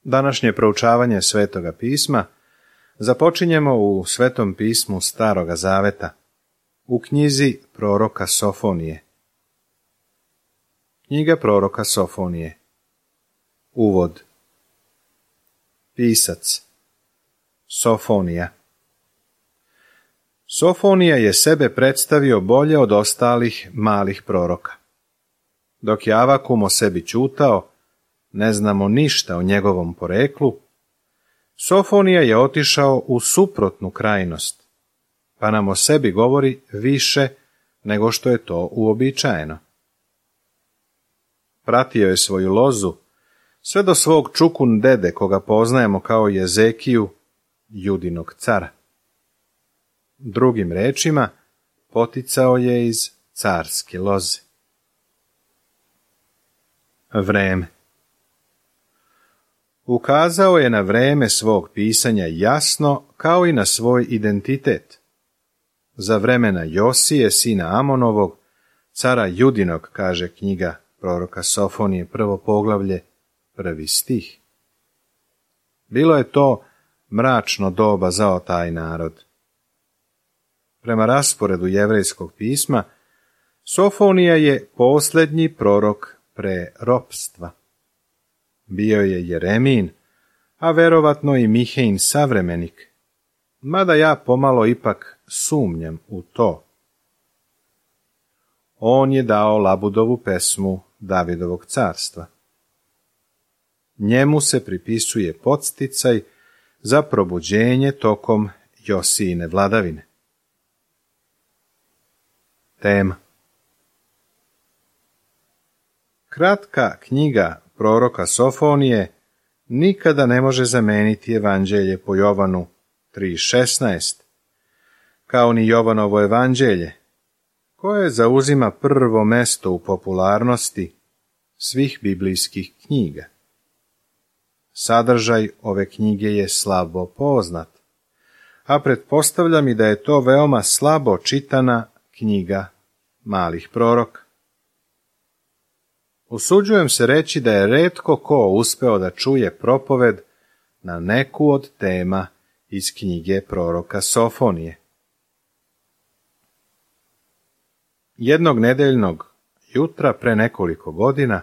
Današnje proučavanje Svetoga pisma započinjemo u Svetom pismu Staroga zaveta, u knjizi proroka Sofonije. Knjiga proroka Sofonije. Uvod. Pisac Sofonija. Sofonija je sebe predstavio bolje od ostalih malih proroka. Dok je Avakum o sebi ćutao, ne znamo ništa o njegovom poreklu, Sofonija je otišao u suprotnu krajnost, pa nam o sebi govori više nego što je to uobičajeno. Pratio je svoju lozu sve do svog čukun dede, koga poznajemo kao Jezekiju, Judinog cara. Drugim rečima, poticao je iz carske loze. Vreme. Ukazao je na vreme svog pisanja jasno, kao i na svoj identitet. Za vremena Josije, sina Amonovog, cara Judinog, kaže knjiga proroka Sofonije, 1. poglavlje, 1. stih. Bilo je to mračno doba za taj narod. Prema rasporedu jevrejskog pisma, Sofonija je posljednji prorok pre ropstva. Bio je Jeremijin, a verovatno i Mihejin savremenik, mada ja pomalo ipak sumnjam u to. On je dao Labudovu pesmu Davidovog carstva. Njemu se pripisuje podsticaj za probuđenje tokom Josijine vladavine. Tema. Kratka knjiga proroka Sofonije nikada ne može zameniti evanđelje po Jovanu 3.16, kao ni Jovanovo evanđelje, koje zauzima prvo mesto u popularnosti svih biblijskih knjiga. Sadržaj ove knjige je slabo poznat, a pretpostavljam i da je to veoma slabo čitana knjiga malih proroka. Usuđujem se reći da je retko ko uspeo da čuje propoved na neku od tema iz knjige proroka Sofonije. Jednog nedeljnog jutra pre nekoliko godina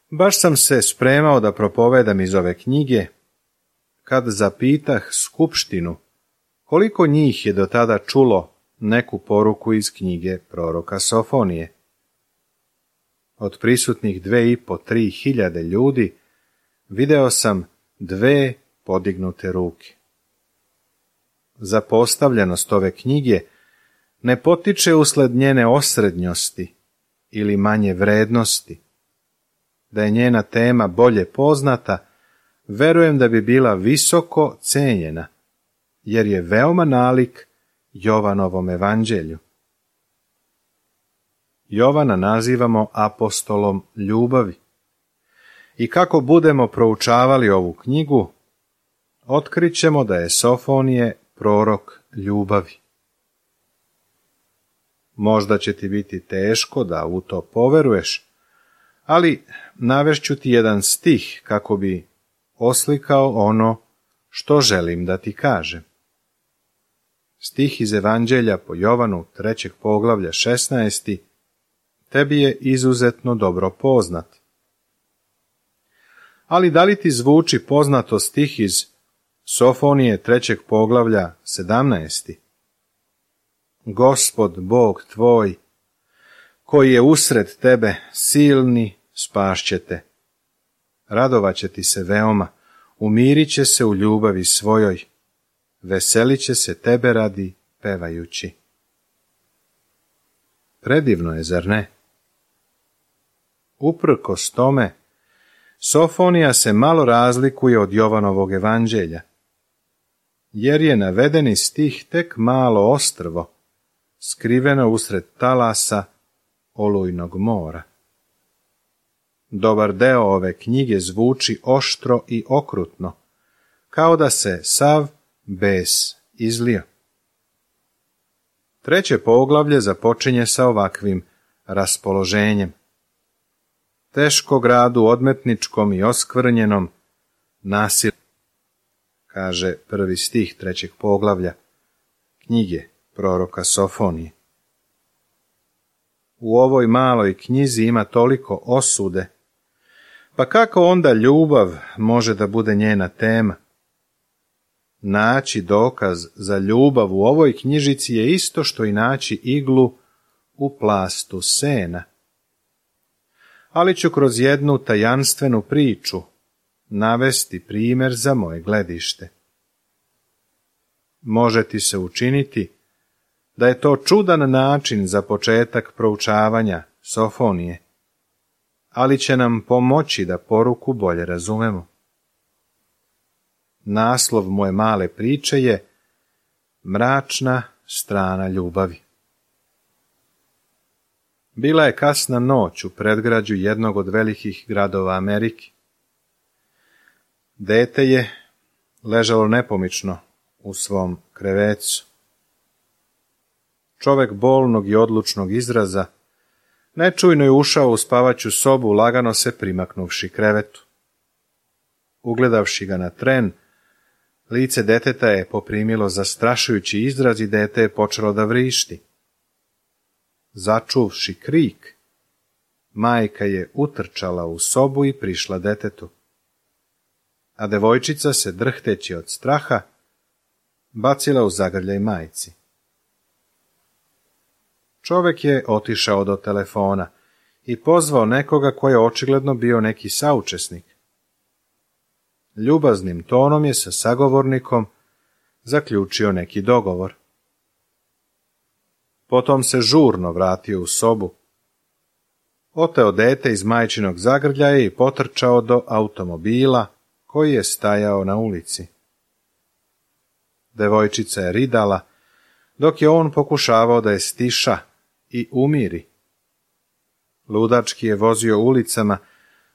baš sam se spremao da propovedam iz ove knjige, kad zapitah skupštinu koliko njih je do tada čulo neku poruku iz knjige proroka Sofonije. Od prisutnih 2.500–3.000 hiljade ljudi video sam 2 podignute ruke. Zapostavljenost ove knjige ne potiče usled njene osrednjosti ili manje vrednosti. Da je njena tema bolje poznata, verujem da bi bila visoko cenjena, jer je veoma nalik Jovanovom evanđelju. Jovana nazivamo apostolom ljubavi. I kako budemo proučavali ovu knjigu, otkrićemo da je Sofonije prorok ljubavi. Možda će ti biti teško da u to poveruješ, ali navešću ti jedan stih kako bi oslikao ono što želim da ti kažem. Stih iz Evanđelja po Jovanu 3. poglavlja 16. tebi je izuzetno dobro poznat. Ali da li ti zvuči poznato stih iz Sofonije 3. poglavlja 17. Gospod Bog tvoj, koji je usred tebe silni, spašće te. Radovat će ti se veoma, umirit će se u ljubavi svojoj, veselit će se tebe radi pevajući. Predivno je, zar ne? Uprkos tome, Sofonija se malo razlikuje od Jovanovog evanđelja, jer je navedeni stih tek malo ostrvo, skriveno usred talasa olujnog mora. Dobar deo ove knjige zvuči oštro i okrutno, kao da se sav bes izlio. 3. poglavlje započinje sa ovakvim raspoloženjem. Teško gradu odmetničkom i oskvrnjenom, nasilno, kaže 1. stih 3. poglavlja knjige proroka Sofonije. U ovoj maloj knjizi ima toliko osude, pa kako onda ljubav može da bude njena tema? Naći dokaz za ljubav u ovoj knjižici je isto što i naći iglu u plastu sena. Ali ću kroz jednu tajanstvenu priču navesti primjer za moje gledište. Može ti se učiniti da je to čudan način za početak proučavanja Sofonije, ali će nam pomoći da poruku bolje razumemo. Naslov moje male priče je Mračna strana ljubavi. Bila je kasna noć u predgrađu jednog od velikih gradova Amerike. Dete je ležalo nepomično u svom krevecu. Čovek bolnog i odlučnog izraza nečujno je ušao u spavaću sobu, lagano se primaknuvši krevetu. Ugledavši ga na tren, lice deteta je poprimilo zastrašujući izraz i dete je počelo da vrišti. Začuvši krik, majka je utrčala u sobu i prišla detetu, a devojčica se, drhteći od straha, bacila u zagrljaj majci. Čovek je otišao do telefona i pozvao nekoga koji je očigledno bio neki saučesnik. Ljubaznim tonom je sa sagovornikom zaključio neki dogovor. Potom se žurno vratio u sobu, oteo dete iz majčinog zagrljaja i potrčao do automobila koji je stajao na ulici. Devojčica je ridala, dok je on pokušavao da je stiša i umiri. Ludački je vozio ulicama,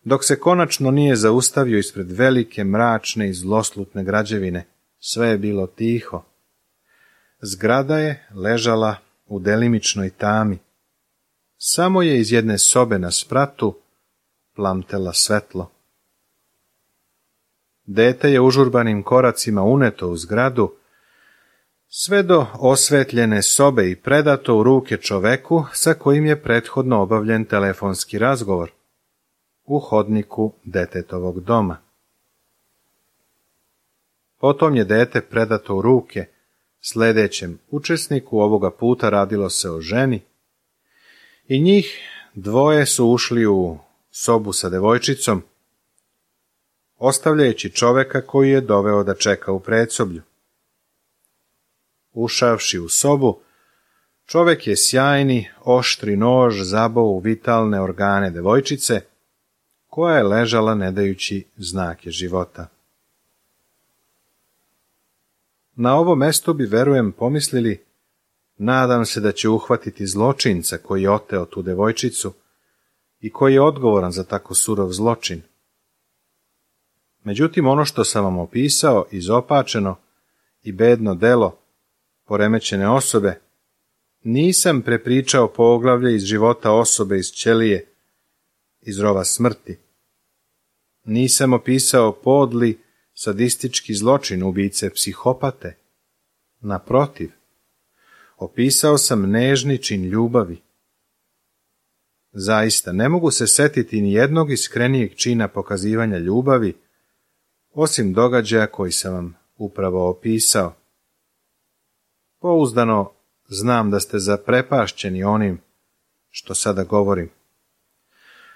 dok se konačno nije zaustavio ispred velike, mračne i zloslutne građevine. Sve je bilo tiho. Zgrada je ležala u delimičnoj tami. Samo je iz jedne sobe na spratu plamtela svetlo. Dete je užurbanim koracima uneto u zgradu, sve do osvetljene sobe i predato u ruke čoveku sa kojim je prethodno obavljen telefonski razgovor u hodniku detetovog doma. Potom je dete predato u ruke sljedećem učesniku, ovoga puta radilo se o ženi, i njih dvoje su ušli u sobu sa devojčicom, ostavljajući čoveka koji je doveo da čeka u predsoblju. Ušavši u sobu, čovek je sjajni, oštri nož zabao u vitalne organe devojčice, koja je ležala ne dajući znake života. Na ovo mesto bi, verujem, pomislili, nadam se da će uhvatiti zločinca koji je oteo tu devojčicu i koji je odgovoran za tako surov zločin. Međutim, ono što sam vam opisao, izopačeno i bedno delo poremećene osobe, nisam prepričao poglavlje iz života osobe iz ćelije, iz rova smrti. Nisam opisao podli, sadistički zločin ubice psihopate. Naprotiv, opisao sam nežni čin ljubavi. Zaista, ne mogu se setiti ni jednog iskrenijeg čina pokazivanja ljubavi, osim događaja koji sam vam upravo opisao. Pouzdano znam da ste zaprepašćeni onim što sada govorim.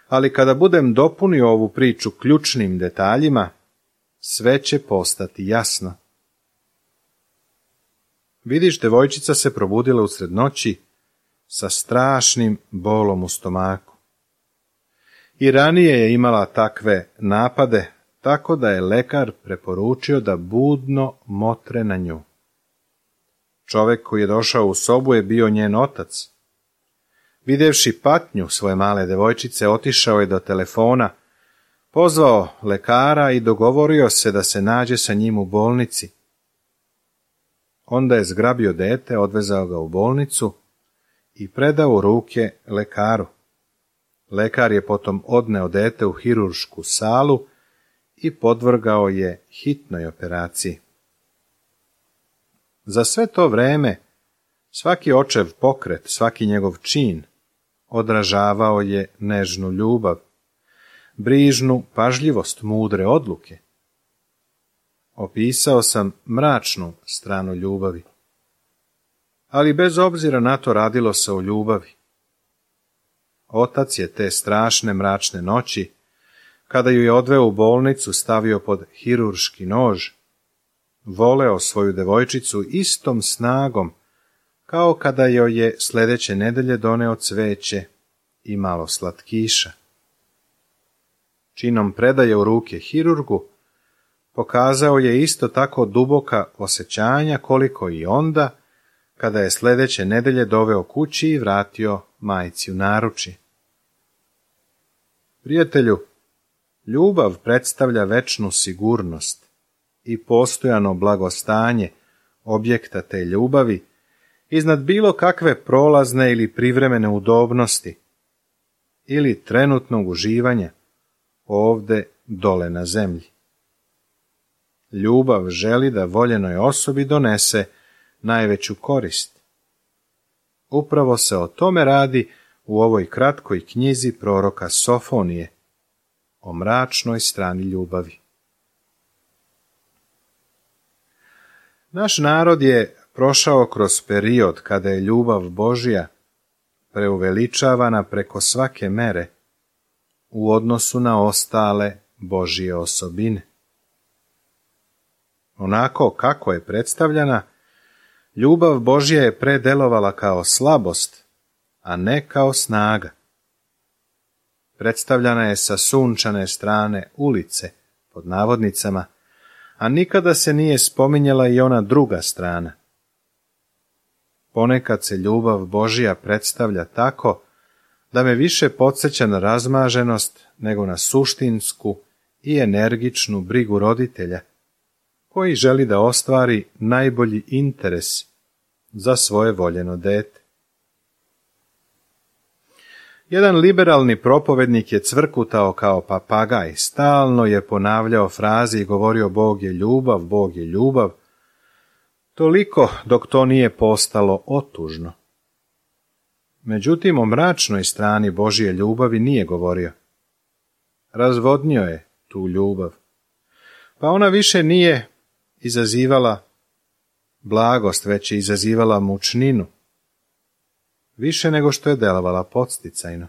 Ali kada budem dopunio ovu priču ključnim detaljima, sve će postati jasno. Vidiš, devojčica se probudila usred noći sa strašnim bolom u stomaku. I ranije je imala takve napade, tako da je lekar preporučio da budno motre na nju. Čovek koji je došao u sobu je bio njen otac. Videvši patnju svoje male devojčice, otišao je do telefona, pozvao lekara i dogovorio se da se nađe sa njim u bolnici. Onda je zgrabio dete, odvezao ga u bolnicu i predao u ruke lekaru. Lekar je potom odneo dete u hiruršku salu i podvrgao je hitnoj operaciji. Za sve to vreme, svaki očev pokret, svaki njegov čin odražavao je nežnu ljubav, brižnu pažljivost mudre odluke. Opisao sam mračnu stranu ljubavi, ali bez obzira na to radilo se o ljubavi. Otac je te strašne mračne noći, kada ju je odveo u bolnicu, stavio pod hirurški nož, voleo svoju devojčicu istom snagom, kao kada joj je sljedeće nedelje doneo cveće i malo slatkiša. Činom predaje u ruke hirurgu, pokazao je isto tako duboka osjećanja koliko i onda, kada je sljedeće nedelje doveo kući i vratio majci u naručje. Prijatelju, ljubav predstavlja večnu sigurnost i postojano blagostanje objekta te ljubavi iznad bilo kakve prolazne ili privremene udobnosti ili trenutnog uživanja ovde dole na zemlji. Ljubav želi da voljenoj osobi donese najveću korist. Upravo se o tome radi u ovoj kratkoj knjizi proroka Sofonije, o mračnoj strani ljubavi. Naš narod je prošao kroz period kada je ljubav Božja preuveličavana preko svake mere u odnosu na ostale Božje osobine. Onako kako je predstavljana, ljubav Božja je predelovala kao slabost, a ne kao snaga. Predstavljana je sa sunčane strane ulice, pod navodnicama, a nikada se nije spominjala i ona druga strana. Ponekad se ljubav Božja predstavlja tako da me više podsjeća na razmaženost nego na suštinsku i energičnu brigu roditelja, koji želi da ostvari najbolji interes za svoje voljeno dete. Jedan liberalni propovednik je cvrkutao kao papagaj, stalno je ponavljao fraze i govorio Bog je ljubav, Bog je ljubav, toliko dok to nije postalo otužno. Međutim, o mračnoj strani Božje ljubavi nije govorio. Razvodnio je tu ljubav, pa ona više nije izazivala blagost, već je izazivala mučninu, više nego što je delovala podsticajno.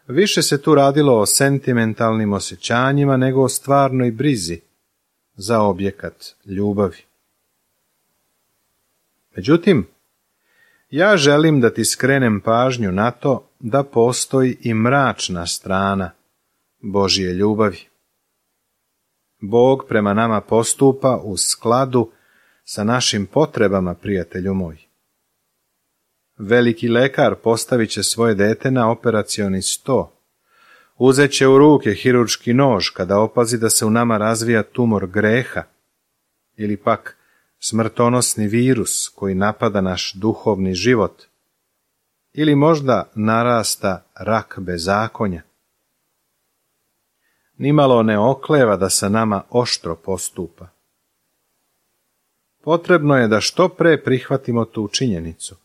Više se tu radilo o sentimentalnim osjećanjima nego o stvarnoj brizi za objekat ljubavi. Međutim, ja želim da ti skrenem pažnju na to da postoji i mračna strana Božje ljubavi. Bog prema nama postupa u skladu sa našim potrebama, prijatelju moj. Veliki lekar postavit će svoje dete na operacioni sto. Uzet će u ruke hirurški nož kada opazi da se u nama razvija tumor greha ili pak smrtonosni virus koji napada naš duhovni život ili možda narasta rak bezakonja. Nimalo ne okleva da sa nama oštro postupa. Potrebno je da što pre prihvatimo tu činjenicu.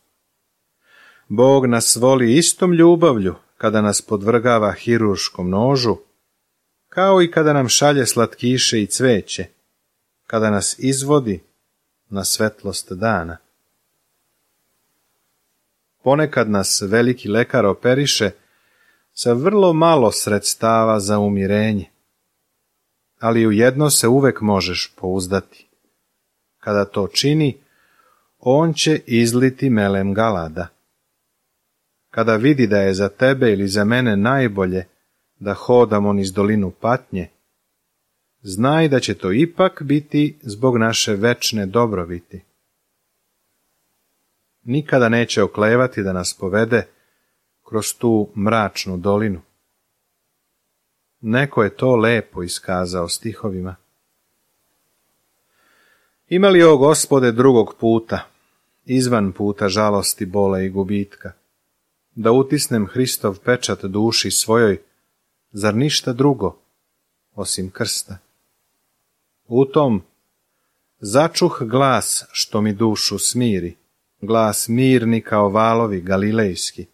Bog nas voli istom ljubavlju kada nas podvrgava hirurškom nožu, kao i kada nam šalje slatkiše i cveće, kada nas izvodi na svetlost dana. Ponekad nas veliki lekar operiše sa vrlo malo sredstava za umirenje, ali u jedno se uvek možeš pouzdati. Kada to čini, on će izliti melem galada. Kada vidi da je za tebe ili za mene najbolje da hodamo niz dolinu patnje, znaj da će to ipak biti zbog naše večne dobrobiti. Nikada neće oklevati da nas povede kroz tu mračnu dolinu. Neko je to lepo iskazao stihovima. Ima li o Gospode drugog puta, izvan puta žalosti, bola i gubitka, da utisnem Hristov pečat duši svojoj, zar ništa drugo, osim krsta. U tom začuh glas što mi dušu smiri, glas mirni kao valovi galilejski.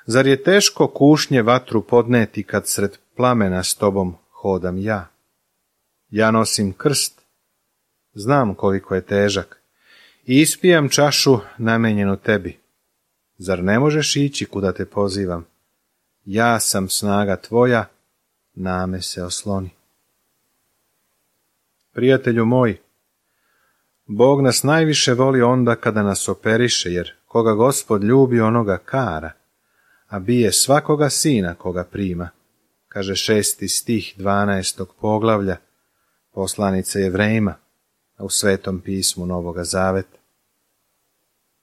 Zar je teško kušnje vatru podneti kad sred plamena s tobom hodam ja? Ja nosim krst, znam koliko je težak, i ispijam čašu namenjenu tebi. Zar ne možeš ići kuda te pozivam? Ja sam snaga tvoja, na me se osloni. Prijatelju moj, Bog nas najviše voli onda kada nas operiše, jer koga Gospod ljubi onoga kara, a bije svakoga sina koga prima, kaže 6. stih 12. poglavlja poslanice Jevrejima, a u Svetom pismu Novoga Zaveta.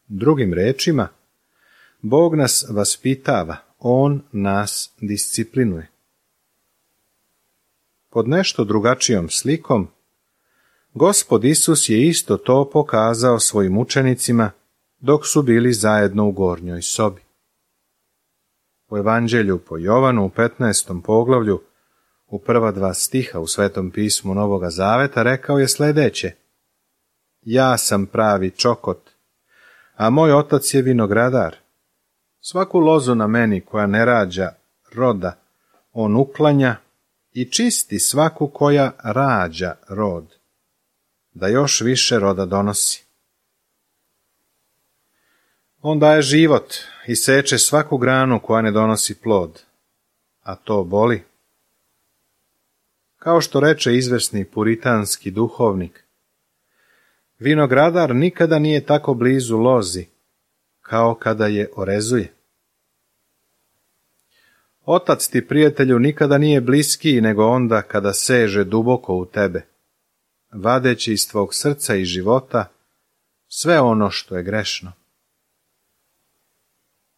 Drugim rečima, Bog nas vaspitava, On nas disciplinuje. Pod nešto drugačijom slikom, Gospod Isus je isto to pokazao svojim učenicima dok su bili zajedno u gornjoj sobi. U Evanđelju po Jovanu u 15. poglavlju, u prva 2 stiha u Svetom pismu Novoga Zaveta rekao je sljedeće: Ja sam pravi čokot, a moj otac je vinogradar. Svaku lozu na meni koja ne rađa roda, on uklanja i čisti svaku koja rađa rod, da još više roda donosi. On daje život i seče svaku granu koja ne donosi plod, a to boli. Kao što reče izvesni puritanski duhovnik, vinogradar nikada nije tako blizu lozi, kao kada je orezuje. Otac ti, prijatelju, nikada nije bliskiji nego onda kada seže duboko u tebe, vadeći iz tvog srca i života sve ono što je grešno.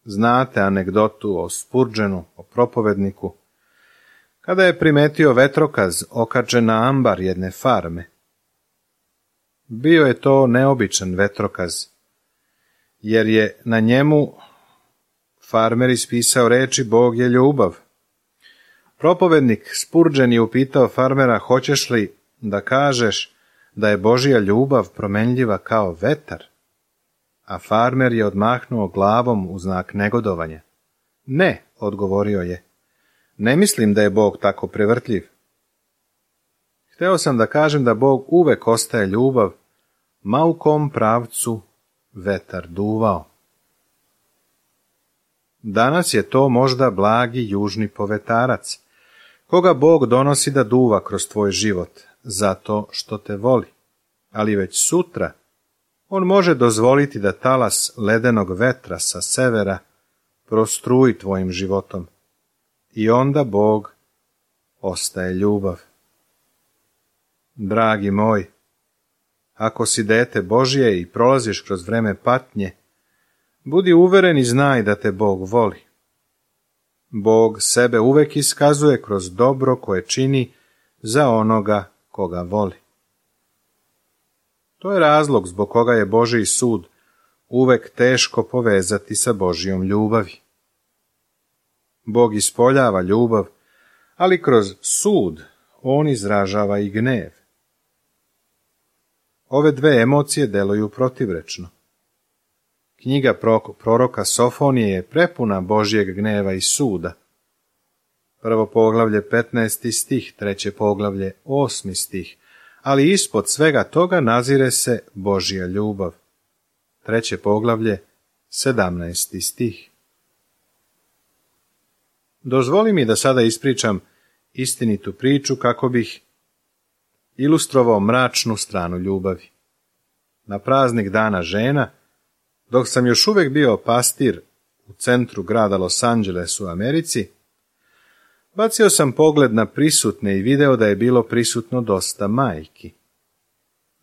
Znate anegdotu o Spurgeonu, o propovedniku, kada je primetio vetrokaz okačen na ambar jedne farme. Bio je to neobičan vetrokaz, jer je na njemu farmer ispisao reči Bog je ljubav. Propovednik Spurgeon je upitao farmera: hoćeš li da kažeš da je Božja ljubav promenljiva kao vetar? A farmer je odmahnuo glavom u znak negodovanja. Ne, odgovorio je, ne mislim da je Bog tako prevrtljiv. Hteo sam da kažem da Bog uvek ostaje ljubav, ma u kom pravcu vetar duvao. Danas je to možda blagi južni povetarac, koga Bog donosi da duva kroz tvoj život, zato što te voli. Ali već sutra on može dozvoliti da talas ledenog vetra sa severa prostruji tvojim životom. I onda Bog ostaje ljubav. Dragi moj, ako si dete Božje i prolaziš kroz vreme patnje, budi uveren i znaj da te Bog voli. Bog sebe uvek iskazuje kroz dobro koje čini za onoga koga voli. To je razlog zbog koga je Božji sud uvek teško povezati sa Božjom ljubavi. Bog ispoljava ljubav, ali kroz sud on izražava i gnev. Ove dve emocije deluju protivrečno. Knjiga proroka Sofonije je prepuna Božjeg gneva i suda. Prvo poglavlje 15. stih, treće poglavlje 8. stih, ali ispod svega toga nazire se Božja ljubav. Treće poglavlje 17. stih. Dozvoli mi da sada ispričam istinitu priču kako bih ilustrovao mračnu stranu ljubavi. Na praznik Dana žena, dok sam još uvek bio pastir u centru grada Los Angeles u Americi, bacio sam pogled na prisutne i video da je bilo prisutno dosta majki.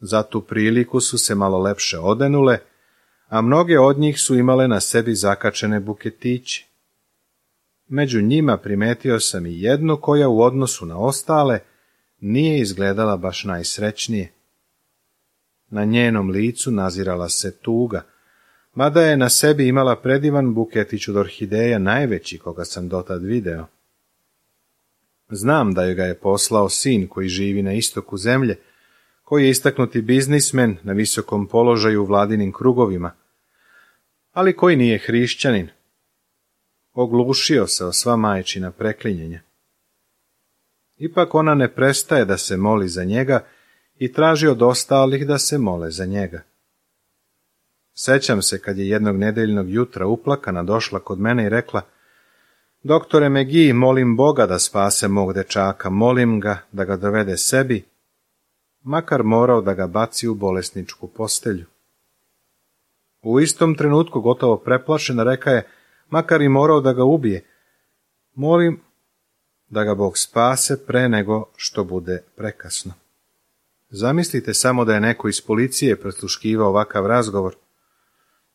Za tu priliku su se malo lepše odenule, a mnoge od njih su imale na sebi zakačene buketiće. Među njima primetio sam i jednu koja u odnosu na ostale nije izgledala baš najsrećnije. Na njenom licu nazirala se tuga, mada je na sebi imala predivan buketić od orhideja, najveći koga sam dotad video. Znam da joj ga je poslao sin koji živi na istoku zemlje, koji je istaknuti biznismen na visokom položaju u vladinim krugovima, ali koji nije hrišćanin. Oglušio se o sva majčina preklinjenja. Ipak ona ne prestaje da se moli za njega i traži od ostalih da se mole za njega. Sećam se kad je jednog nedeljnog jutra uplakana došla kod mene i rekla: Doktore McGee, molim Boga da spase mog dečaka, molim ga da ga dovede sebi, makar morao da ga baci u bolesničku postelju. U istom trenutku, gotovo preplašena, reka je: makar i morao da ga ubije, molim da ga Bog spase pre nego što bude prekasno. Zamislite samo da je neko iz policije presluškivao ovakav razgovor.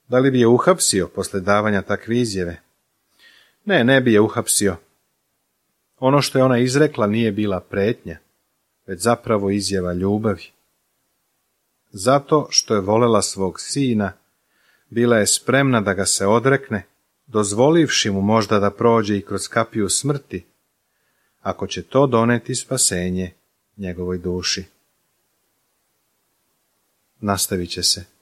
Da li bi je uhapsio posle davanja takve izjave? Ne, ne bi je uhapsio. Ono što je ona izrekla nije bila pretnja, već zapravo izjava ljubavi. Zato što je volela svog sina, bila je spremna da ga se odrekne, dozvolivši mu možda da prođe i kroz kapiju smrti, ako će to doneti spasenje njegovoj duši. Nastavit će se.